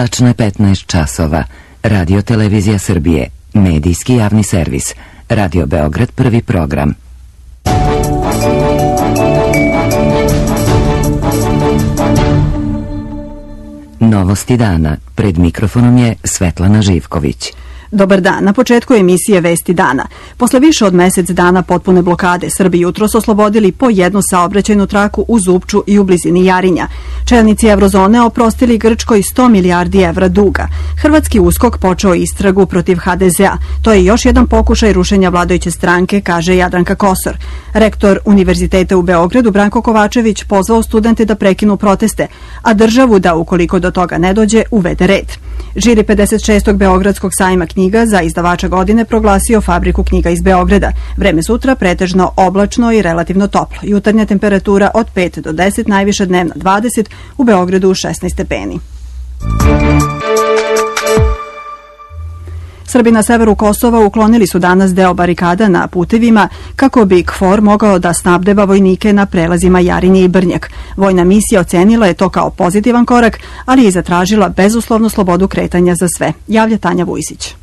Tačno je 15 časova. Radio Televizija Srbije. Medijski javni servis. Radio Beograd, prvi program. Novosti dana. Pred mikrofonom je Svetlana Živković. Dobar dan. Na početku emisije Vesti dana. Posle više od mesec dana potpune blokade, Srbi jutros oslobodili po jednu saobraćajnu traku u Zupču i u blizini Jarinja. Čelnici Evrozone oprostili Grčkoj 100 milijardi evra duga. Hrvatski USKOK počeo istragu protiv HDZ-a. To je još jedan pokušaj rušenja vladajuće stranke, kaže Jadranka Kosor. Rektor Univerziteta u Beogradu Branko Kovačević pozvao studente da prekinu proteste, a državu da, ukoliko do toga ne dođe, uvede red. Žiri 56. Beogradskog sajma knjiga za izdavača godine proglasio Fabriku knjiga iz Beograda. Vreme sutra pretežno oblačno i relativno toplo. Jutarnja temperatura od 5 do 10, najviša dnevna 20, u Beogradu 16 stepeni. Srbi na severu Kosova uklonili su danas deo barikada na putevima kako bi KFOR mogao da snabdeva vojnike na prelazima Jarinje i Brnjak. Vojna misija ocenila je to kao pozitivan korak, ali je zatražila bezuslovnu slobodu kretanja za sve. Javlja Tanja Vujsić.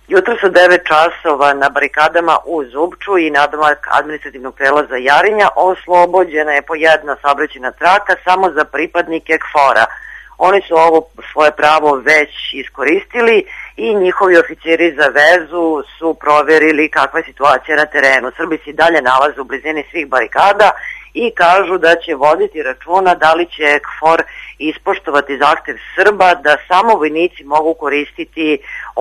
Jutro su 9 časova na barikadama u Zupču i nadomak administrativnog prelaza Jarinja oslobođena je po jedna saobraćajna traka samo za pripadnike KFOR-a. Oni su ovo svoje pravo već iskoristili i njihovi oficiri za vezu su proverili kakva je situacija na terenu. Srbi se dalje nalaze u blizini svih barikada i kažu da će voditi računa da li će KFOR ispoštovati zahtev Srba da samo vojnici mogu koristiti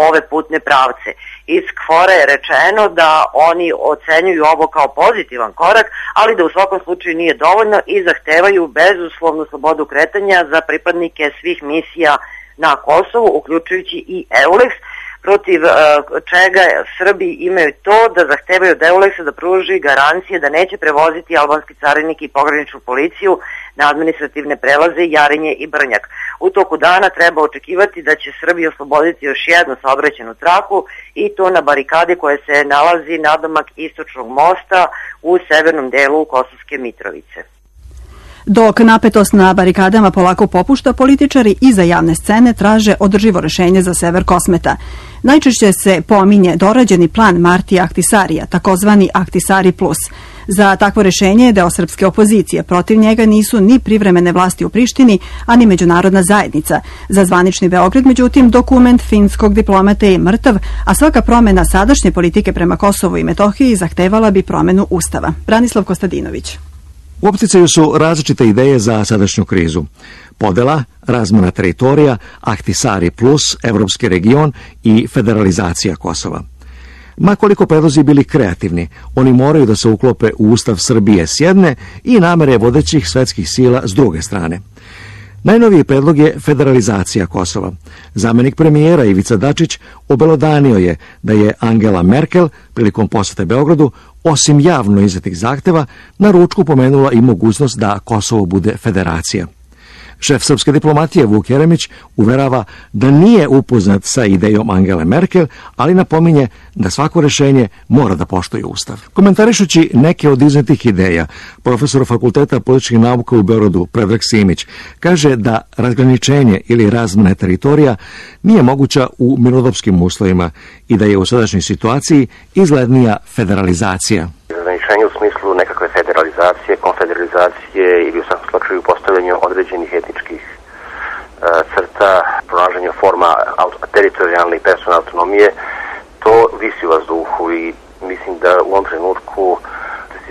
ove putne pravce. Iz KFOR-a je rečeno da oni ocenjuju ovo kao pozitivan korak, ali da u svakom slučaju nije dovoljno i zahtevaju bezuslovnu slobodu kretanja za pripadnike svih misija na Kosovu, uključujući i EULEX, protiv čega Srbi imaju to da zahtevaju od EULEX-a da pruži garancije da neće prevoziti albanski carinik i pograničnu policiju na administrativne prelaze Jarinje i Brnjak. U toku dana treba očekivati da će Srbi osloboditi još jednu saobraćajnu traku i to na barikadi koja se nalazi nadomak istočnog mosta u severnom delu Kosovske Mitrovice. Dok napetost na barikadama polako popušta, političari iza javne scene traže održivo rešenje za sever Kosmeta. Najčešće se pominje dorađeni plan Martija Ahtisarija, takozvani Ahtisari plus. Za takvo rešenje deo srpske opozicije. Protiv njega nisu ni privremene vlasti u Prištini, a ni međunarodna zajednica. Za zvanični Beograd, međutim, dokument finskog diplomate je mrtav, a svaka promena sadašnje politike prema Kosovu i Metohiji zahtevala bi promenu Ustava. Branislav Kostadinović. U opticaju su različite ideje za sadašnju krizu. Podela, razmena teritorija, Ahtisari plus, evropski region i federalizacija Kosova. Ma koliko predlozi bili kreativni, oni moraju da se uklope u Ustav Srbije s jedne i namere vodećih svetskih sila s druge strane. Najnoviji predlog je federalizacija Kosova. Zamenik premijera Ivica Dačić obelodanio je da je Angela Merkel prilikom posete Beogradu, osim javno izdatih zahteva, na ručku pomenula i mogućnost da Kosovo bude federacija. Šef srpske diplomatije Vuk Jeremić uverava da nije upoznat sa idejom Angele Merkel, ali napominje da svako rešenje mora da poštuje Ustav. Komentarišući neke od iznetih ideja, profesor Fakulteta političkih nauka u Beogradu Predrag Simić kaže da razgraničenje ili razmena teritorija nije moguća u mirnodopskim uslovima i da je u sadašnjoj situaciji izglednija federalizacija. Razgraničenje u smislu nekakve federalizacije, konfederalizacije ili u svakom slučaju postavljanju određenih etničkih crta, pronalaženju forma teritorijalne i personalne autonomije, to visi u vazduhu i mislim da u ovom trenutku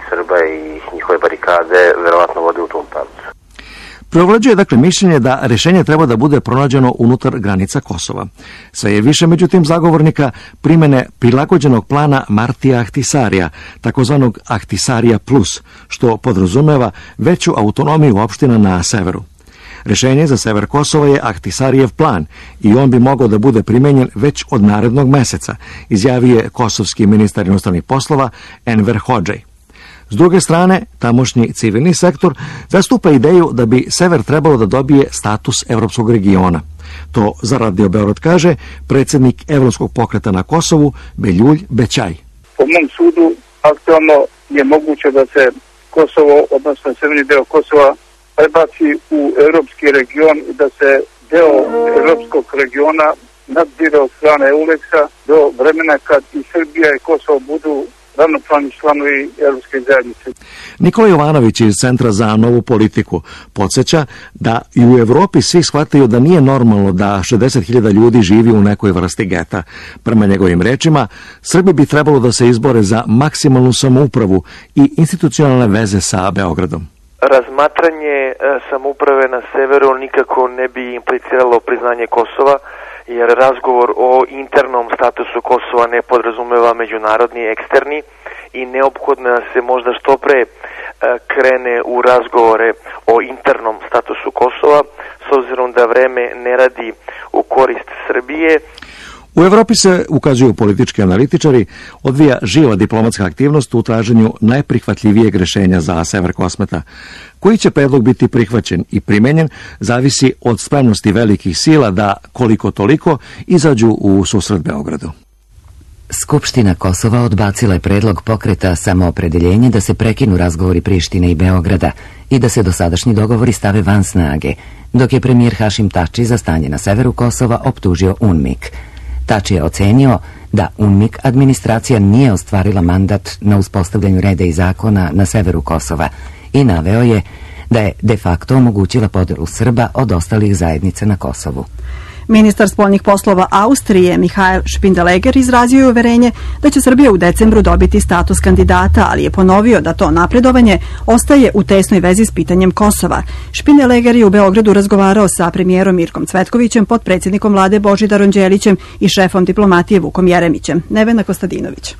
Srba i njihove barikade verovatno vode u tom pravcu. Preovlađuje dakle mišljenje da rešenje treba da bude pronađeno unutar granica Kosova. Sve je više međutim zagovornika primene prilagođenog plana Martija Ahtisarija, takozvanog Ahtisarija plus, što podrazumeva veću autonomiju opština na severu. Rešenje za sever Kosova je Ahtisarijev plan i on bi mogao da bude primenjen već od narednog meseca, izjavio je kosovski ministar inostranih poslova Enver Hodžej. S druge strane, tamošnji civilni sektor zastupa ideju da bi sever trebalo da dobije status evropskog regiona. To za Radio Beograd kaže predsjednik Evropskog pokreta na Kosovu Beljulj Bećaj. Po mom sudu, aktualno je moguće da se Kosovo, odnosno severni deo Kosova, prebaci u evropski region i da se deo evropskog regiona nadzire od strane EULEX-a do vremena kad i Srbija i Kosovo budu ravnopravni članovi Evropske zajednice. Nikola Jovanović iz Centra za novu politiku podsjeća da i u Evropi svi shvataju da nije normalno da 60.000 ljudi živi u nekoj vrsti geta. Prema njegovim rečima, Srbi bi trebalo da se izbore za maksimalnu samoupravu i institucionalne veze sa Beogradom. Razmatranje samouprave na severu nikako ne bi impliciralo priznanje Kosova, jer razgovor o internom statusu Kosova ne podrazumeva međunarodni i eksterni i neophodno se možda što pre krene u razgovore o internom statusu Kosova, s obzirom da vreme ne radi u korist Srbije. U Evropi se, ukazuju politički analitičari, odvija živa diplomatska aktivnost u traženju najprihvatljivijeg rešenja za sever Kosmeta. Koji će predlog biti prihvaćen i primenjen zavisi od spremnosti velikih sila da, koliko toliko, izađu u susret Beogradu. Skupština Kosova odbacila je predlog pokreta Samoopredeljenje da se prekinu razgovori Prištine i Beograda i da se dosadašnji dogovori stave van snage, dok je premijer Hašim Tači za stanje na severu Kosova optužio UNMIK. Tači je ocenio da UNMIK administracija nije ostvarila mandat na uspostavljanju reda i zakona na severu Kosova i naveo je da je de facto omogućila podelu Srba od ostalih zajednica na Kosovu. Ministar spoljnih poslova Austrije Michael Spindeleger izrazio je uverenje da će Srbija u decembru dobiti status kandidata, ali je ponovio da to napredovanje ostaje u tesnoj vezi s pitanjem Kosova. Spindeleger je u Beogradu razgovarao sa premijerom Mirkom Cvetkovićem, potpredsjednikom vlade Božidarom Đelićem i šefom diplomatije Vukom Jeremićem. Nevena Kostadinović.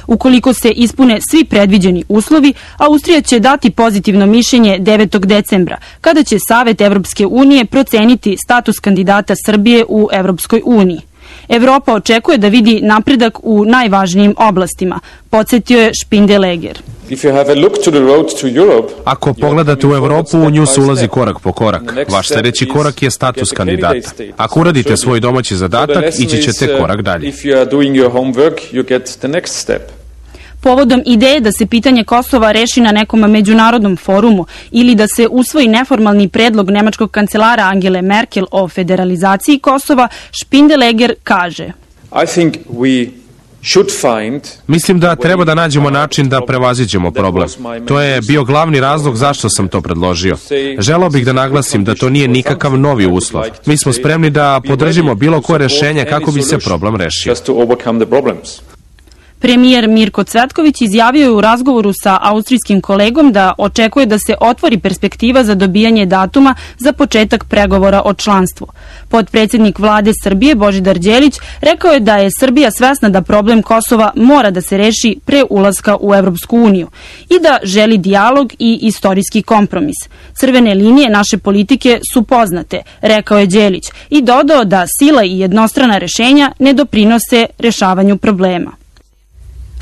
Ukoliko se ispune svi predviđeni uslovi, Austrija će dati pozitivno mišljenje 9. decembra, kada će Savet Evropske unije proceniti status kandidata Srbije u Evropskoj uniji. Evropa očekuje da vidi napredak u najvažnijim oblastima, podsjetio je Spindeleger. Ako pogledate u Evropu, u nju se ulazi korak po korak. Vaš sljedeći korak je status kandidata. Ako uradite svoj domaći zadatak, ići ćete korak dalje. Povodom ideje da se pitanje Kosova reši na nekom međunarodnom forumu ili da se usvoji neformalni predlog nemačkog kancelara Angele Merkel o federalizaciji Kosova, Spindeleger kaže: Mislim da treba da nađemo način da prevaziđemo problem. To je bio glavni razlog zašto sam to predložio. Želeo bih da naglasim da to nije nikakav novi uslov. Mi smo spremni da podržimo bilo koje rešenje kako bi se problem rešio. Premijer Mirko Cvetković izjavio je u razgovoru sa austrijskim kolegom da očekuje da se otvori perspektiva za dobijanje datuma za početak pregovora o članstvu. Potpredsjednik vlade Srbije Božidar Đelić rekao je da je Srbija svesna da problem Kosova mora da se reši pre ulaska u Evropsku uniju i da želi dijalog i istorijski kompromis. Crvene linije naše politike su poznate, rekao je Đelić i dodao da sila i jednostrana rešenja ne doprinose rešavanju problema.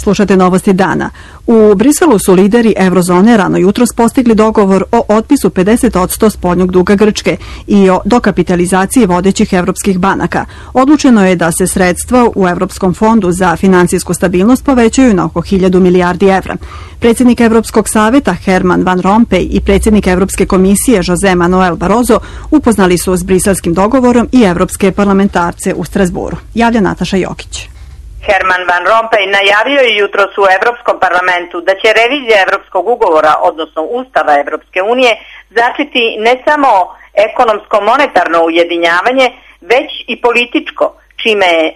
Slušate novosti dana. U Briselu su lideri Eurozone rano jutros postigli dogovor o otpisu 50% spoljnog duga Grčke i o dokapitalizaciji vodećih evropskih banaka. Odlučeno je da se sredstva u Evropskom fondu za finansijsku stabilnost povećaju na oko 1000 milijardi evra. Predsjednik Evropskog saveta Herman Van Rompuy i predsjednik Evropske komisije José Manuel Barroso upoznali su s briselskim dogovorom i evropske parlamentarce u Strasburu. Javlja Nataša Jokić. Herman Van Rompuy najavio je jutros u Evropskom parlamentu da će revizija Evropskog ugovora, odnosno Ustava Evropske unije, začeti ne samo ekonomsko-monetarno ujedinjavanje, već i političko, čime je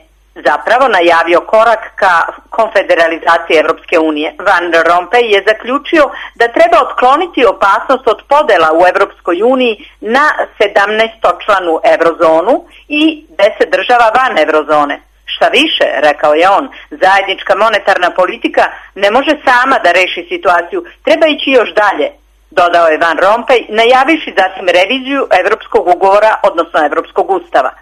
zapravo najavio korak ka konfederalizaciji Evropske unije. Van Rompuy je zaključio da treba otkloniti opasnost od podela u Evropskoj uniji na 17-članu eurozonu i 10 država van eurozone. Šta više, rekao je on, zajednička monetarna politika ne može sama da reši situaciju, treba ići još dalje, dodao je Van Rompuy, najavivši zatim reviziju Evropskog ugovora, odnosno Evropskog ustava.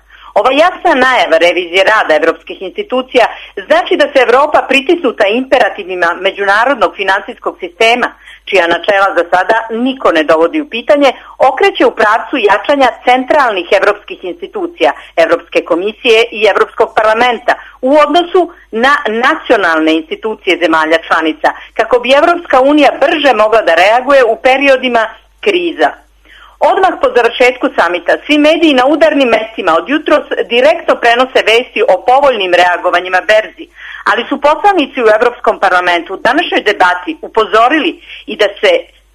Ova jasna najava revizije rada evropskih institucija znači da se Evropa pritisnuta imperativima međunarodnog finansijskog sistema, čija načela za sada niko ne dovodi u pitanje, okreće u pravcu jačanja centralnih evropskih institucija, Evropske komisije i Evropskog parlamenta u odnosu na nacionalne institucije zemalja članica, kako bi Evropska unija brže mogla da reaguje u periodima kriza. Odmah po završetku samita svi mediji na udarnim mestima od jutros direktno prenose vesti o povoljnim reagovanjima berzi, ali su poslanici u Evropskom parlamentu u današnjoj debati upozorili i da se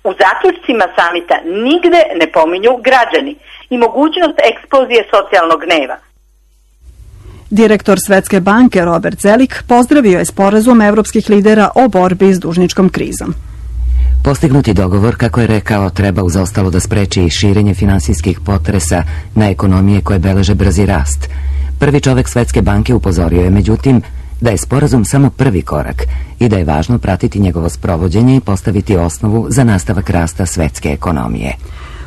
u zaključcima samita nigde ne pominju građani i mogućnost eksplozije socijalnog gneva. Direktor Svetske banke Robert Zelik pozdravio je sporazum evropskih lidera o borbi s dužničkom krizom. Postignuti dogovor, kako je rekao, treba uz ostalo da spreči i širenje finansijskih potresa na ekonomije koje beleže brzi rast. Prvi čovek Svetske banke upozorio je, međutim, da je sporazum samo prvi korak i da je važno pratiti njegovo sprovođenje i postaviti osnovu za nastavak rasta svetske ekonomije.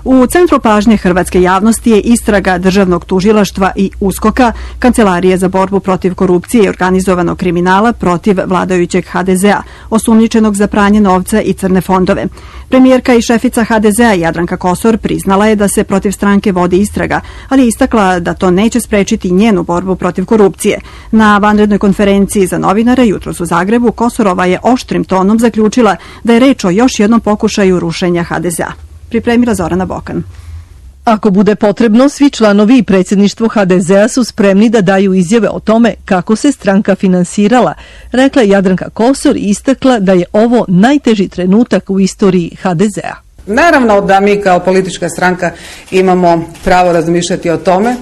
U centru pažnje hrvatske javnosti je istraga Državnog tužilaštva i USKOK-a, Kancelarije za borbu protiv korupcije i organizovanog kriminala protiv vladajućeg HDZ-a, osumnjičenog za pranje novca i crne fondove. Premijerka i šefica HDZ-a Jadranka Kosor priznala je da se protiv stranke vodi istraga, ali je istakla da to neće sprečiti njenu borbu protiv korupcije. Na vanrednoj konferenciji za novinare jutros u Zagrebu Kosorova je oštrim tonom zaključila da je reč o još jednom pokušaju rušenja HDZ-a. Pripremila Zorana Bokan. Ako bude potrebno, svi članovi i predsjedništvo HDZ-a su spremni da daju izjave o tome kako se stranka finansirala, rekla Jadranka Kosor i istakla da je ovo najteži trenutak u istoriji HDZ-a. Naravno da mi kao politička stranka imamo pravo razmišljati o tome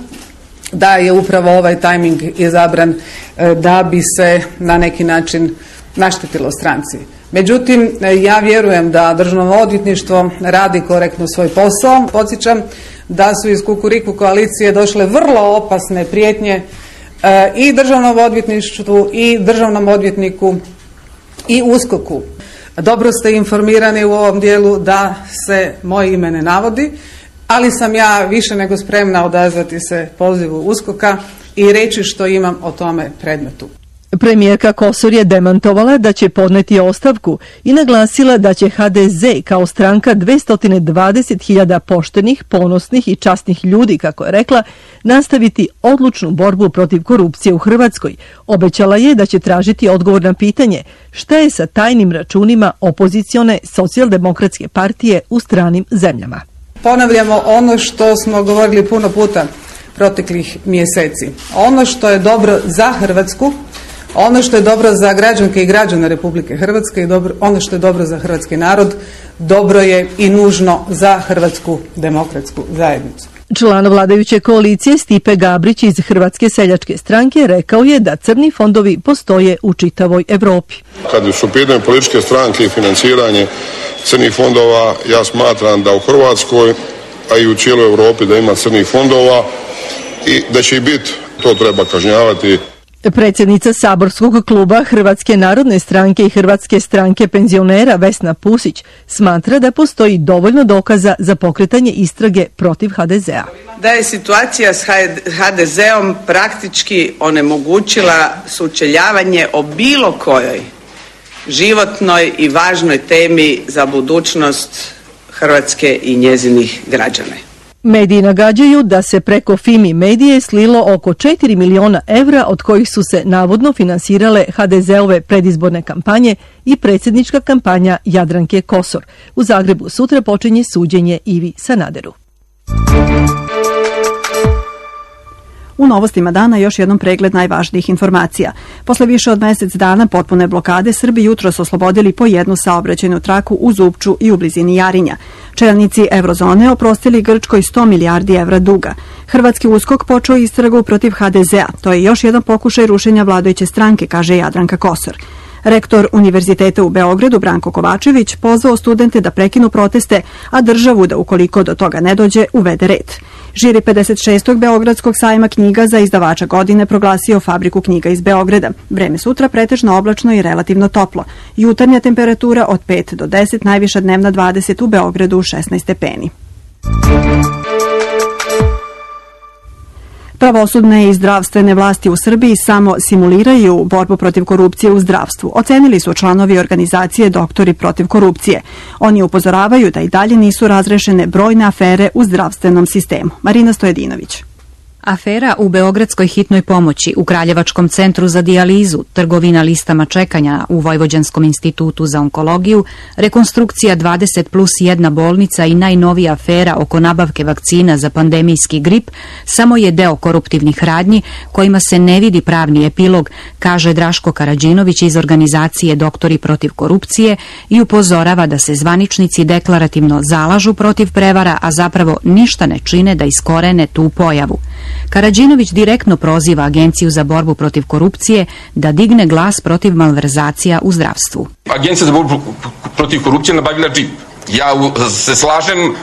da je upravo ovaj tajming izabran da bi se na neki način naštetilo stranci. Međutim, ja vjerujem da Državno odvjetništvo radi korektno svoj posao. Podsjećam da su iz Kukuriku koalicije došle vrlo opasne prijetnje i Državnom odvjetništvu i državnom odvjetniku i USKOK-u. Dobro ste informirani u ovom dijelu da se moje ime ne navodi, ali sam ja više nego spremna odazvati se pozivu USKOK-a i reći što imam o tome predmetu. Premijerka Kosor je demantovala da će podneti ostavku i naglasila da će HDZ kao stranka 220.000 poštenih, ponosnih i časnih ljudi, kako je rekla, nastaviti odlučnu borbu protiv korupcije u Hrvatskoj. Obećala je da će tražiti odgovor na pitanje šta je sa tajnim računima opozicione socijaldemokratske partije u stranim zemljama. Ponavljamo ono što smo govorili puno puta proteklih mjeseci. Ono što je dobro za Hrvatsku, ono što je dobro za građanke i građane Republike Hrvatske i ono što je dobro za hrvatski narod, dobro je i nužno za Hrvatsku demokratsku zajednicu. Član vladajuće koalicije Stipe Gabrić iz Hrvatske seljačke stranke rekao je da crni fondovi postoje u čitavoj Europi. Kad su pitanje političke stranke i financiranje crnih fondova, ja smatram da u Hrvatskoj, a i u cijeloj Europi da ima crnih fondova i da će ih biti, to treba kažnjavati. Predsjednica saborskog kluba Hrvatske narodne stranke i Hrvatske stranke penzionera Vesna Pusić smatra da postoji dovoljno dokaza za pokretanje istrage protiv HDZ-a. Da je situacija s HDZ-om praktički onemogućila sučeljavanje o bilo kojoj životnoj i važnoj temi za budućnost Hrvatske i njezinih građana. Mediji nagađaju da se preko Fimi medije slilo oko 4 miliona evra, od kojih su se navodno finansirale HDZ-ove predizborne kampanje i predsjednička kampanja Jadranke Kosor. U Zagrebu sutra počinje suđenje Ivi Sanaderu. U novostima dana još jednom pregled najvažnijih informacija. Posle više od mjesec dana potpune blokade, Srbi jutros oslobodili po jednu saobraćajnu traku u Zupču i u blizini Jarinja. Čelnici Eurozone oprostili Grčkoj 100 milijardi evra duga. Hrvatski USKOK počeo istragu protiv HDZ-a. To je još jedan pokušaj rušenja vladajuće stranke, kaže Jadranka Kosor. Rektor Univerziteta u Beogradu Branko Kovačević pozvao studente da prekinu proteste, a državu da ukoliko do toga ne dođe uvede red. Žiri 56. Beogradskog sajma knjiga za izdavača godine proglasio Fabriku knjiga iz Beograda. Vreme sutra pretežno oblačno i relativno toplo. Jutarnja temperatura od 5 do 10, najviša dnevna 20, u Beogradu 16 stepeni. Pravosudne i zdravstvene vlasti u Srbiji samo simuliraju borbu protiv korupcije u zdravstvu, ocenili su članovi organizacije Doktori protiv korupcije. Oni upozoravaju da i dalje nisu razrešene brojne afere u zdravstvenom sistemu. Marina Stojedinović. Afera u Beogradskoj hitnoj pomoći, u Kraljevačkom centru za dijalizu, trgovina listama čekanja u Vojvođanskom institutu za onkologiju, rekonstrukcija 20+1 bolnica i najnovija afera oko nabavke vakcina za pandemijski grip samo je deo koruptivnih radnji kojima se ne vidi pravni epilog, kaže Draško Karađinović iz organizacije Doktori protiv korupcije i upozorava da se zvaničnici deklarativno zalažu protiv prevara, a zapravo ništa ne čine da iskorene tu pojavu. Karađinović direktno proziva Agenciju za borbu protiv korupcije da digne glas protiv malverzacija u zdravstvu. Agencija za borbu protiv korupcije nabavila džip. Ja se slažem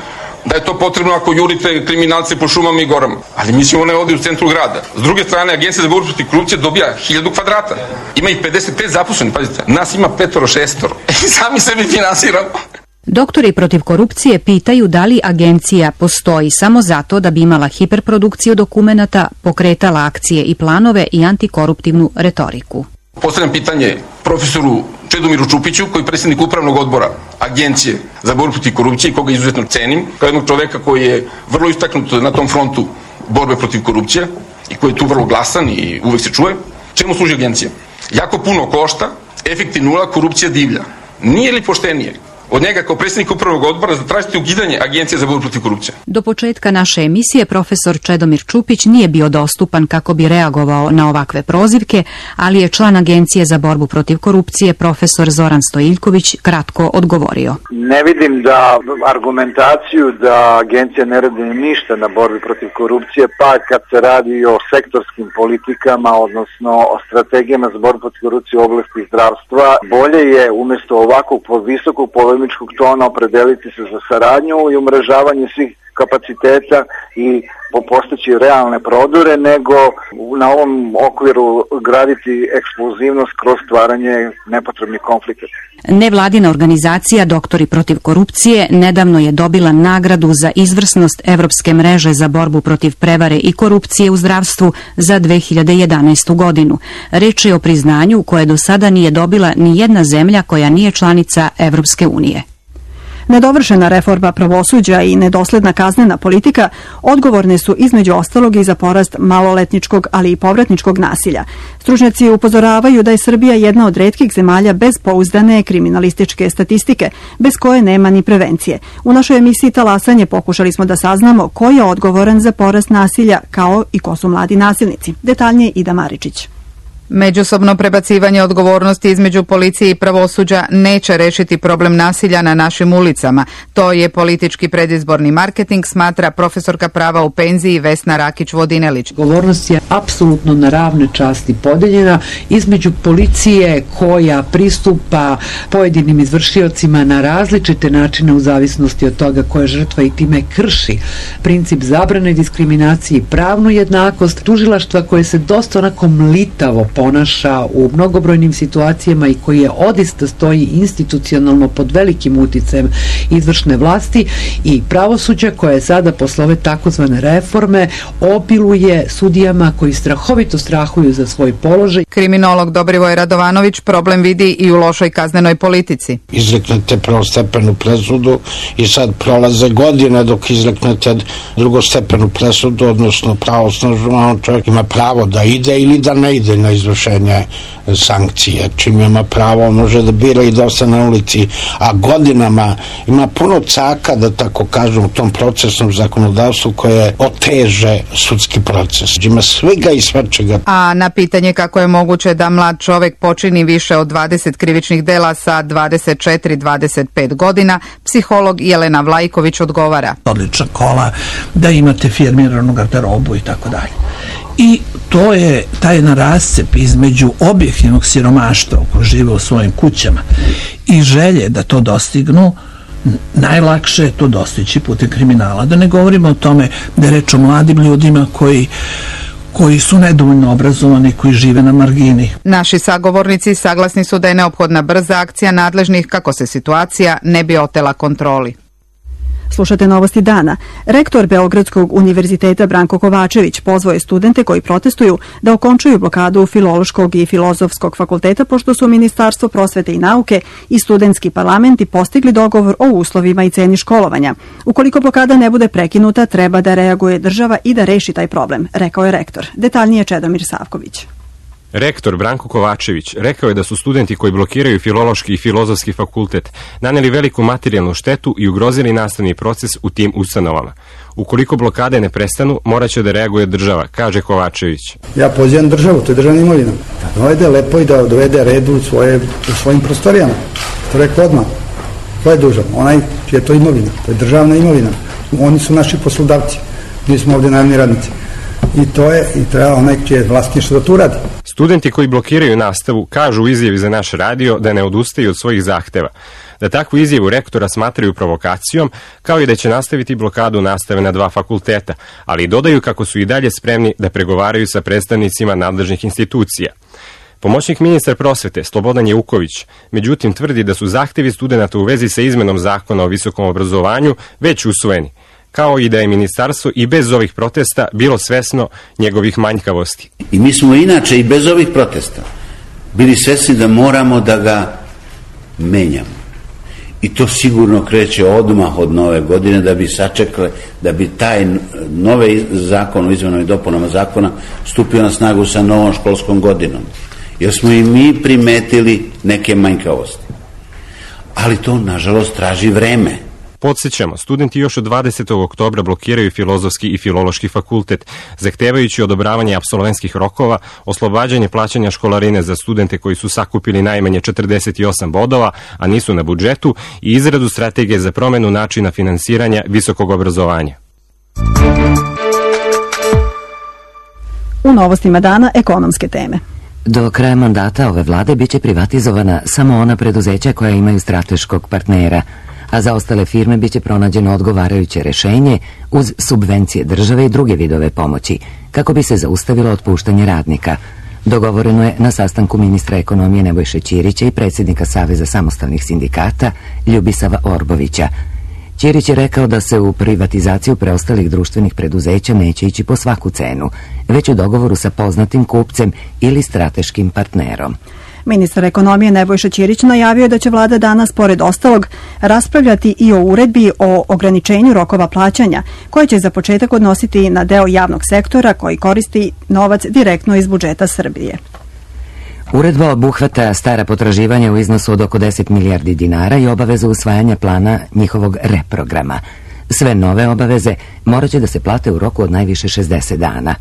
da je to potrebno ako jurite kriminalce po šumama i gorama. Ali mislim ona je ovdje u centru grada. S druge strane, Agencija za borbu protiv korupcije dobija 1000 kvadrata. Ima ih 55 zaposlenih, pazite. Nas ima 5-6. I sami sebi finansiramo. Doktori protiv korupcije pitaju da li agencija postoji samo zato da bi imala hiperprodukciju dokumenata, pokretala akcije i planove i antikoruptivnu retoriku. Postavljam pitanje profesoru Čedomiru Čupiću, koji je predsjednik upravnog odbora Agencije za borbu protiv korupcije, koga izuzetno cenim, kao jednog čoveka koji je vrlo istaknut na tom frontu borbe protiv korupcije i koji je tu vrlo glasan i uvek se čuje. Čemu služi agencija? Jako puno košta, efekti nula, korupcija divlja. Nije li poštenije od njega kao predsjednik upravnog odbora zatražiti ukidanje Agencije za borbu protiv korupcije? Do početka naše emisije profesor Čedomir Čupić nije bio dostupan kako bi reagovao na ovakve prozivke, ali je član Agencije za borbu protiv korupcije profesor Zoran Stojiljković kratko odgovorio. Ne vidim da argumentaciju da agencija ne radi ništa na borbi protiv korupcije, pa kad se radi o sektorskim politikama, odnosno o strategijama za borbu protiv korupcije u oblasti zdravstva, bolje je umjesto ovakvog visokog polemičkog tona opredeliti se za saradnju i umrežavanje svih kapaciteta i postići realne prodore, nego na ovom okviru graditi eksplozivnost kroz stvaranje nepotrebnih konflikata. Nevladina organizacija Doktori protiv korupcije nedavno je dobila nagradu za izvrsnost Evropske mreže za borbu protiv prevare i korupcije u zdravstvu za 2011. godinu. Reč je o priznanju koje do sada nije dobila ni jedna zemlja koja nije članica Evropske unije. Nedovršena reforma pravosuđa i nedosledna kaznena politika odgovorne su između ostalog i za porast maloletničkog, ali i povratničkog nasilja. Stručnjaci upozoravaju da je Srbija jedna od retkih zemalja bez pouzdane kriminalističke statistike, bez koje nema ni prevencije. U našoj emisiji Talasanje pokušali smo da saznamo ko je odgovoran za porast nasilja, kao i ko su mladi nasilnici. Detaljnije Ida Maričić. Međusobno prebacivanje odgovornosti između policije i pravosuđa neće rešiti problem nasilja na našim ulicama. To je politički predizborni marketing, smatra profesorka prava u penziji Vesna Rakić-Vodinelić. Odgovornost je apsolutno na ravne časti podeljena između policije koja pristupa pojedinim izvršiocima na različite načine u zavisnosti od toga koja je žrtva i time krši princip zabrane diskriminacije i pravnu jednakost, tužilaštva koje se dosta onako mlitavo ponaša u mnogobrojnim situacijama i koji je odista stoji institucionalno pod velikim uticajem izvršne vlasti, i pravosuđa koje sada posle ove takozvane reforme obiluje sudijama koji strahovito strahuju za svoj položaj. Kriminolog Dobrivoj Radovanović problem vidi i u lošoj kaznenoj politici. Izreknete prvostepenu presudu i sad prolaze godine dok izreknete drugostepenu presudu, odnosno pravosnažno, čovjek ima pravo da ide ili da ne ide na izvršenje sankcije. Čim ima pravo, može da bira i da ostane na ulici, a godinama ima puno caka, da tako kažem, u tom procesnom zakonodavstvu koje oteže sudski proces. Ima svega i svačega. A na pitanje kako je moguće da mlad čovek počini više od 20 krivičnih dela sa 24-25 godina, psiholog Jelena Vlajković odgovara. Odlična kola, da imate firmiranu garderobu i tako dalje. I to je taj jedan rascep između objektivnog siromaštva koji žive u svojim kućama i želje da to dostignu. Najlakše je to dostići putem kriminala. Da ne govorimo o tome da je reč o mladim ljudima koji su nedovoljno obrazovani, koji žive na margini. Naši sagovornici saglasni su da je neophodna brza akcija nadležnih kako se situacija ne bi otela kontroli. Slušate Novosti dana. Rektor Beogradskog univerziteta Branko Kovačević pozvao je studente koji protestuju da okončaju blokadu Filološkog i Filozofskog fakulteta, pošto su Ministarstvo prosvete i nauke i studentski parlamenti postigli dogovor o uslovima i ceni školovanja. Ukoliko blokada ne bude prekinuta, treba da reaguje država i da reši taj problem, rekao je rektor. Detaljnije Čedomir Savković. Rektor Branko Kovačević rekao je da su studenti koji blokiraju Filološki i Filozofski fakultet naneli veliku materijalnu štetu i ugrozili nastavni proces u tim ustanovama. Ukoliko blokade ne prestanu, morat će da reaguje država, kaže Kovačević. Ja pozivam državu, to je državna imovina, da dovede lepo i da dovede redu u svojim prostorijama. To rekao odmah. Ko je dužan? Onaj čija je to imovina. To je državna imovina. Oni su naši poslodavci. Mi smo ovdje najamni radnici. I treba onaj čije je vlasništvo da to uradi. Studenti koji blokiraju nastavu kažu u izjavi za naš radio da ne odustaju od svojih zahteva, da takvu izjavu rektora smatraju provokacijom, kao i da će nastaviti blokadu nastave na 2 fakulteta, ali dodaju kako su i dalje spremni da pregovaraju sa predstavnicima nadležnih institucija. Pomoćnik ministra prosvete Slobodan Jeuković, međutim, tvrdi da su zahtevi studenata u vezi sa izmenom zakona o visokom obrazovanju već usvojeni, kao i da je ministarstvo i bez ovih protesta bilo svesno njegovih manjkavosti. I mi smo inače i bez ovih protesta bili svesni da moramo da ga menjamo. I to sigurno kreće odmah od nove godine, da bi sačekali, da bi taj novi zakon o izmenama i dopunama zakona stupio na snagu sa novom školskom godinom. Jer smo i mi primetili neke manjkavosti. Ali to, nažalost, traži vreme. Podsjećamo, studenti još od 20. oktobra blokiraju Filozofski i Filološki fakultet, zahtevajući odobravanje apsolventskih rokova, oslobađanje plaćanja školarine za studente koji su sakupili najmanje 48 bodova, a nisu na budžetu, i izradu strategije za promenu načina finansiranja visokog obrazovanja. U novostima dana ekonomske teme. Do kraja mandata ove vlade biće privatizovana samo ona preduzeća koja imaju strateškog partnera, a za ostale firme biće pronađeno odgovarajuće rešenje uz subvencije države i druge vidove pomoći, kako bi se zaustavilo otpuštanje radnika. Dogovoreno je na sastanku ministra ekonomije Nebojše Ćirića i predsjednika Saveza samostalnih sindikata Ljubisava Orbovića. Ćirić je rekao da se u privatizaciju preostalih društvenih preduzeća neće ići po svaku cenu, već u dogovoru sa poznatim kupcem ili strateškim partnerom. Ministar ekonomije Nebojša Ćirić najavio da će vlada danas, pored ostalog, raspravljati i o uredbi o ograničenju rokova plaćanja, koje će za početak odnositi na deo javnog sektora koji koristi novac direktno iz budžeta Srbije. Uredba obuhvata stara potraživanja u iznosu od oko 10 milijardi dinara i obavezu usvajanja plana njihovog reprograma. Sve nove obaveze morat će da se plate u roku od najviše 60 dana.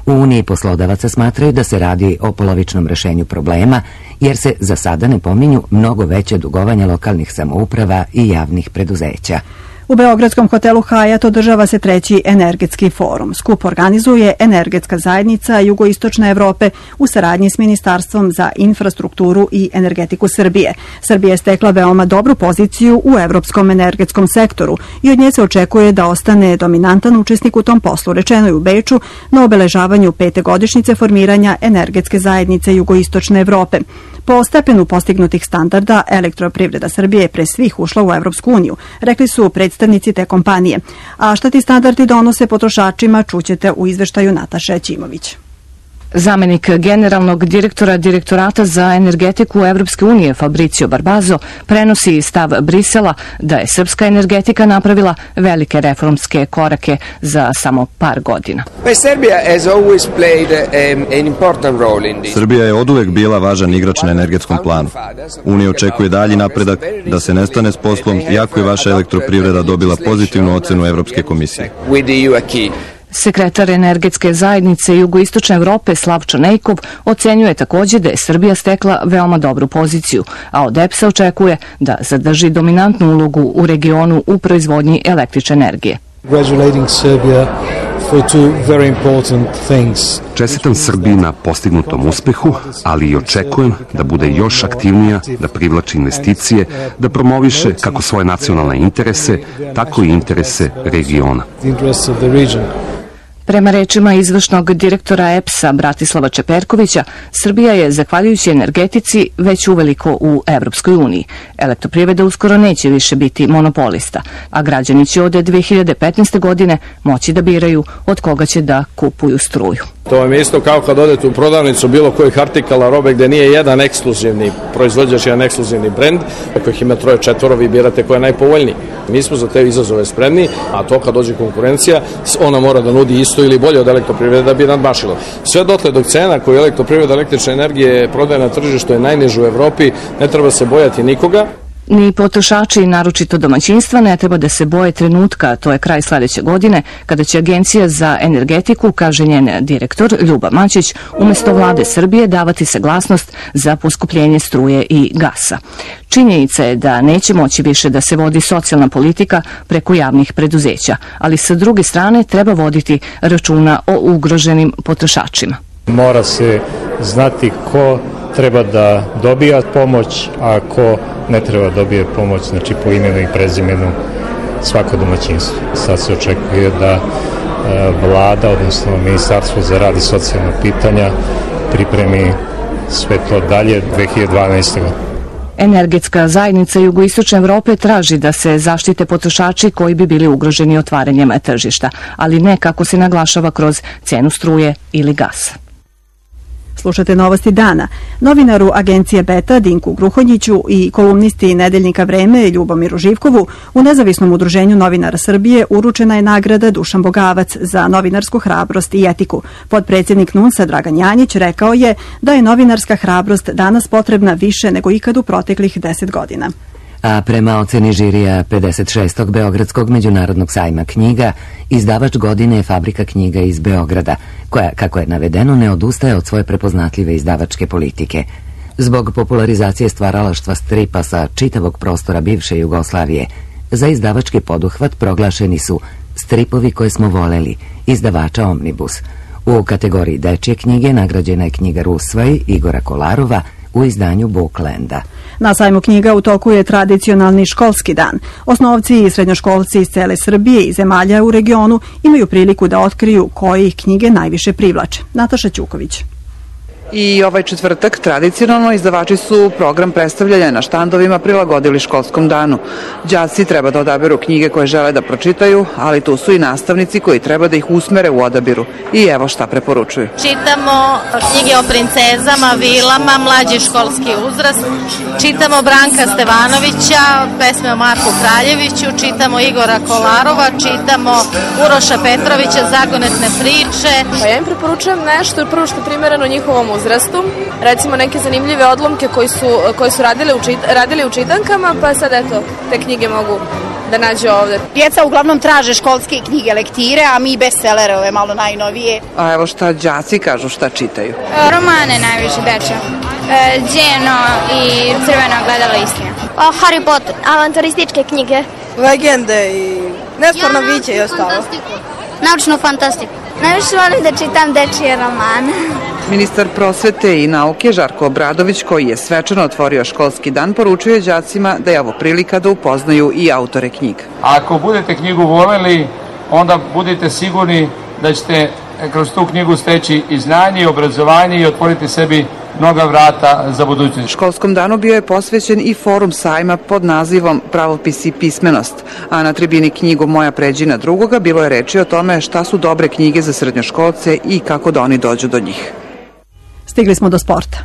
U Uniji poslodavaca smatraju da se radi o polovičnom rešenju problema, jer se za sada ne pominju mnogo veće dugovanja lokalnih samouprava i javnih preduzeća. U Beogradskom hotelu Hajat održava se 3. energetski forum. Skup organizuje Energetska zajednica Jugoistočne Evrope u saradnji s Ministarstvom za infrastrukturu i energetiku Srbije. Srbija je stekla veoma dobru poziciju u evropskom energetskom sektoru i od nje se očekuje da ostane dominantan učesnik u tom poslu, rečeno je u Beču na obeležavanju 5. godišnjice formiranja Energetske zajednice Jugoistočne Evrope. Po stepenu postignutih standarda, Elektroprivreda Srbije je pre svih ušla u Evropsku uniju, rekli su predstavnici te kompanije. A šta ti standardi donose potrošačima, čućete u izveštaju Nataše Ćimović. Zamenik generalnog direktora Direktorata za energetiku Evropske unije Fabricio Barbazo prenosi stav Brisela da je srpska energetika napravila velike reformske korake za samo par godina. Srbija je oduvek bila važan igrač na energetskom planu. Unija očekuje dalji napredak, da se ne stane s poslom, iako je vaša elektroprivreda dobila pozitivnu ocenu Evropske komisije. Sekretar Energetske zajednice Jugoistočne Evrope Slavčo Nejkov ocenjuje također da je Srbija stekla veoma dobru poziciju, a od EPS-a očekuje da zadrži dominantnu ulogu u regionu u proizvodnji električne energije. Čestitam Srbiji na postignutom uspehu, ali i očekujem da bude još aktivnija, da privlači investicije, da promoviše kako svoje nacionalne interese, tako i interese regiona. Prema rečima izvršnog direktora EPS-a Bratislava Čeperkovića, Srbija je, zahvaljujući energetici, već uveliko u Evropskoj uniji. Elektroprivreda uskoro neće više biti monopolista, a građani će od 2015. godine moći da biraju od koga će da kupuju struju. To vam je isto kao kad odete u prodavnicu bilo kojih artikala robe gde nije jedan ekskluzivni proizvođač, jedan ekskluzivni brend, ako ih ima 3-4, vi birate ko je najpovoljniji. Mi smo za te izazove spremni, a to kad dođe konkurencija, ona mora da nudi isto ili bolje od elektroprivrede da bi nadmašilo. Sve dotle dok cena koju elektroprivreda električne energije prodaje na tržištu je najniža u Evropi, ne treba se bojati nikoga. Ni potrošači, naročito domaćinstva, ne treba da se boje trenutka, to je kraj sledeće godine, kada će Agencija za energetiku, kaže njen direktor Ljuba Maćić, umesto vlade Srbije davati saglasnost za poskupljenje struje i gasa. Činjenica je da neće moći više da se vodi socijalna politika preko javnih preduzeća, ali sa druge strane treba voditi računa o ugroženim potrošačima. Mora se znati ko treba da dobija pomoć, a ko ne treba dobije pomoć, znači po imenu i prezimenu svako domaćinstvo. Sad se očekuje da vlada, odnosno Ministarstvo za rad i socijalna pitanja pripremi sve to dalje 2012. godine. Energetska zajednica Jugoistočne Evrope traži da se zaštite potrošači koji bi bili ugroženi otvaranjem tržišta, ali ne kako se naglašava kroz cenu struje ili gasa. Slušate Novosti dana. Novinaru agencije Beta Dinku Gruhonjiću i kolumnisti Nedeljnika Vreme Ljubomiru Živkovu u Nezavisnom udruženju novinara Srbije uručena je nagrada Dušan Bogavac za novinarsku hrabrost i etiku. Potpredsjednik NUNS-a Dragan Janjić rekao je da je novinarska hrabrost danas potrebna više nego ikad u proteklih 10 godina. A prema oceni žirija 56. Beogradskog međunarodnog sajma knjiga, izdavač godine je Fabrika knjiga iz Beograda, koja, kako je navedeno, ne odustaje od svoje prepoznatljive izdavačke politike. Zbog popularizacije stvaralaštva stripa sa čitavog prostora bivše Jugoslavije, za izdavački poduhvat proglašeni su Stripovi koje smo voleli, izdavača Omnibus. U kategoriji dečje knjige nagrađena je knjiga Rusvaj Igora Kolarova u izdanju Booklanda. Na sajmu knjiga u toku je tradicionalni školski dan. Osnovci i srednjoškolci iz cele Srbije i zemalja u regionu imaju priliku da otkriju koje ih knjige najviše privlače. Nataša Ćuković. I ovaj četvrtak tradicionalno izdavači su program predstavljanja na štandovima prilagodili školskom danu. Đaci treba da odaberu knjige koje žele da pročitaju, ali tu su i nastavnici koji treba da ih usmere u odabiru. I evo šta preporučuju. Čitamo knjige o princezama, vilama, mlađi školski uzrast. Čitamo Branka Stevanovića, pesme o Marku Kraljeviću, čitamo Igora Kolarova, čitamo Uroša Petrovića, Zagonetne priče. Pa ja im preporučujem nešto prvo što je primereno njihovom uzrastu, recimo neke zanimljive odlomke koji su radili u čitankama, pa sad eto, te knjige mogu da nađu ovde. Djeca uglavnom traže školske knjige, lektire, a mi bestsellere, ove malo najnovije. A evo šta đaci kažu šta čitaju. Romane najviše deča. Đeno i Crveno ogledalo istine. Harry Potter, avanturističke knjige. Legende i Nesporno biće i ostalo. Naučnu fantastiku. Najviše volim da čitam dečije romane. Ministar prosvete i nauke Žarko Obradović, koji je svečano otvorio školski dan, poručuje đacima da je ovo prilika da upoznaju i autore knjiga. Ako budete knjigu voleli, onda budite sigurni da ćete kroz tu knjigu steći i znanje i obrazovanje i otvoriti sebi mnoga vrata za budućnost. Školskom danu bio je posvećen i forum sajma pod nazivom Pravopis i pismenost, a na tribini knjigu Moja pređina drugoga bilo je reči o tome šta su dobre knjige za srednjoškolce i kako da oni dođu do njih. Stigli smo do sporta.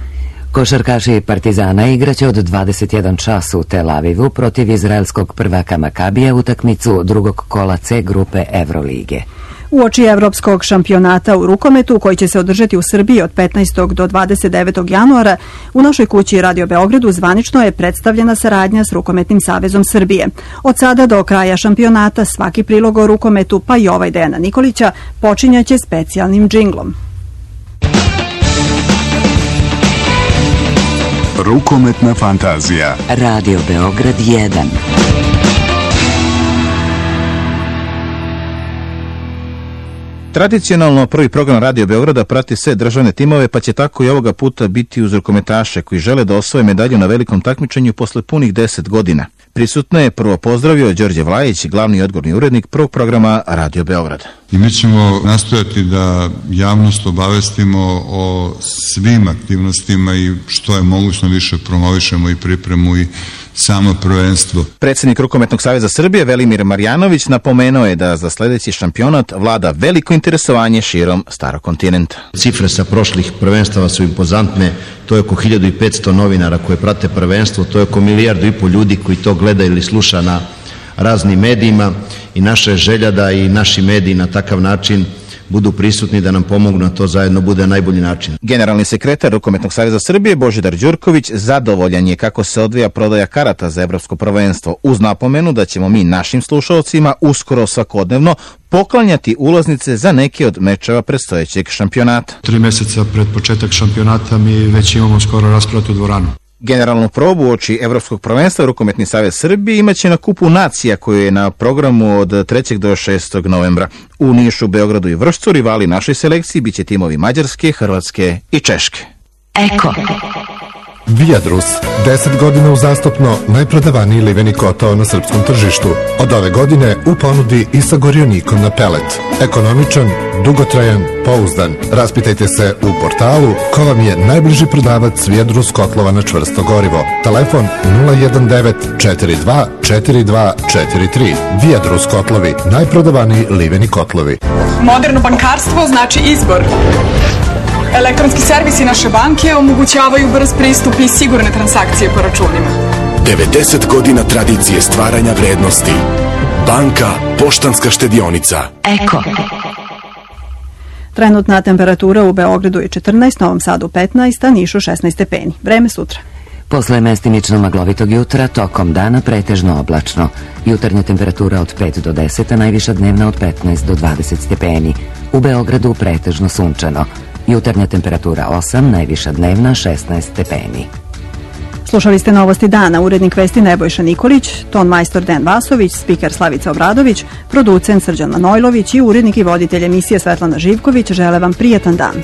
Košarkaši Partizana igraće od 21 čas u Tel Avivu protiv izraelskog prvaka Makabija utakmicu drugog kola C grupe Evrolige. Uoči evropskog šampionata u rukometu, koji će se održati u Srbiji od 15. do 29. januara, u našoj kući Radio Beogradu zvanično je predstavljena saradnja s Rukometnim savezom Srbije. Od sada do kraja šampionata svaki prilog o rukometu, pa i ovaj Dejana Nikolića, počinjaće specijalnim džinglom. Rukometna fantazija. Radio Beograd 1. Tradicionalno prvi program Radio Beograda prati sve državne timove, pa će tako i ovoga puta biti uz rukometaše koji žele da osvoje medalju na velikom takmičenju posle punih 10 godina. prisutno je prvo pozdravio Đorđe Vlajić, glavni odgovorni urednik prvog programa Radio Beograd. I mi ćemo nastojati da javnost obavestimo o svim aktivnostima i što je mogućno više promovišemo i pripremu i samo prvenstvo. Predsjednik Rukometnog saveza Srbije Velimir Marjanović napomenuo je da za sljedeći šampionat vlada veliko interesovanje širom starog kontinenta. Cifre sa prošlih prvenstava su impozantne, to je oko 1500 novinara koje prate prvenstvo, to je oko 1,5 milijardu ljudi koji to gleda ili sluša na raznim medijima i naša je želja da i naši mediji na takav način budu prisutni, da nam pomognu na to zajedno bude najbolji način. Generalni sekretar Rukometnog saveza Srbije Božidar Đurković zadovoljan je kako se odvija prodaja karata za evropsko prvenstvo, uz napomenu da ćemo mi našim slušalcima uskoro svakodnevno poklanjati ulaznice za neke od mečeva predstojećeg šampionata. 3 mjeseca pred početak šampionata mi već imamo skoro raspratu dvoranu. Generalnu probu uoči Evropskog prvenstva Rukometni savez Srbije imaće na Kupu nacija koju je na programu od 3. do 6. novembra. U Nišu, Beogradu i Vršcu rivali našoj selekciji biće timovi Mađarske, Hrvatske i Češke. Eko. Viadrus, 10 godina uzastopno najprodavaniji liveni kotao na srpskom tržištu. Od ove godine u ponudi i sa gorionikom na pelet. Ekonomičan, dugotrajan, pouzdan. Raspitajte se u portalu ko vam je najbliži prodavac Viadrus kotlova na čvrsto gorivo. Telefon 019 42 42 43. Viadrus kotlovi, najprodavaniji liveni kotlovi. Moderno bankarstvo znači izbor. Elektronski servisi naše banke omogućavaju brz pristup i sigurne transakcije po računima. 90 godina tradicije stvaranja vrednosti. Banka Poštanska štedionica. Eko. Trenutna temperatura u Beogradu je 14, Novom Sadu 15, a Nišu 16 stepeni. Vreme sutra. Posle mestimično maglovitog jutra, tokom dana pretežno oblačno. Jutarnja temperatura od 5 do 10, a najviša dnevna od 15 do 20 stepeni. U Beogradu pretežno sunčano. Jutarnja temperatura 8, najviša dnevna 16 stepeni. Slušali ste Novosti dana, urednik vesti Nebojša Nikolić, ton majstor Den Vasović, spiker Slavica Obradović, producent Srđan Manojlović i urednik i voditelj emisije Svetlana Živković žele vam prijatan dan.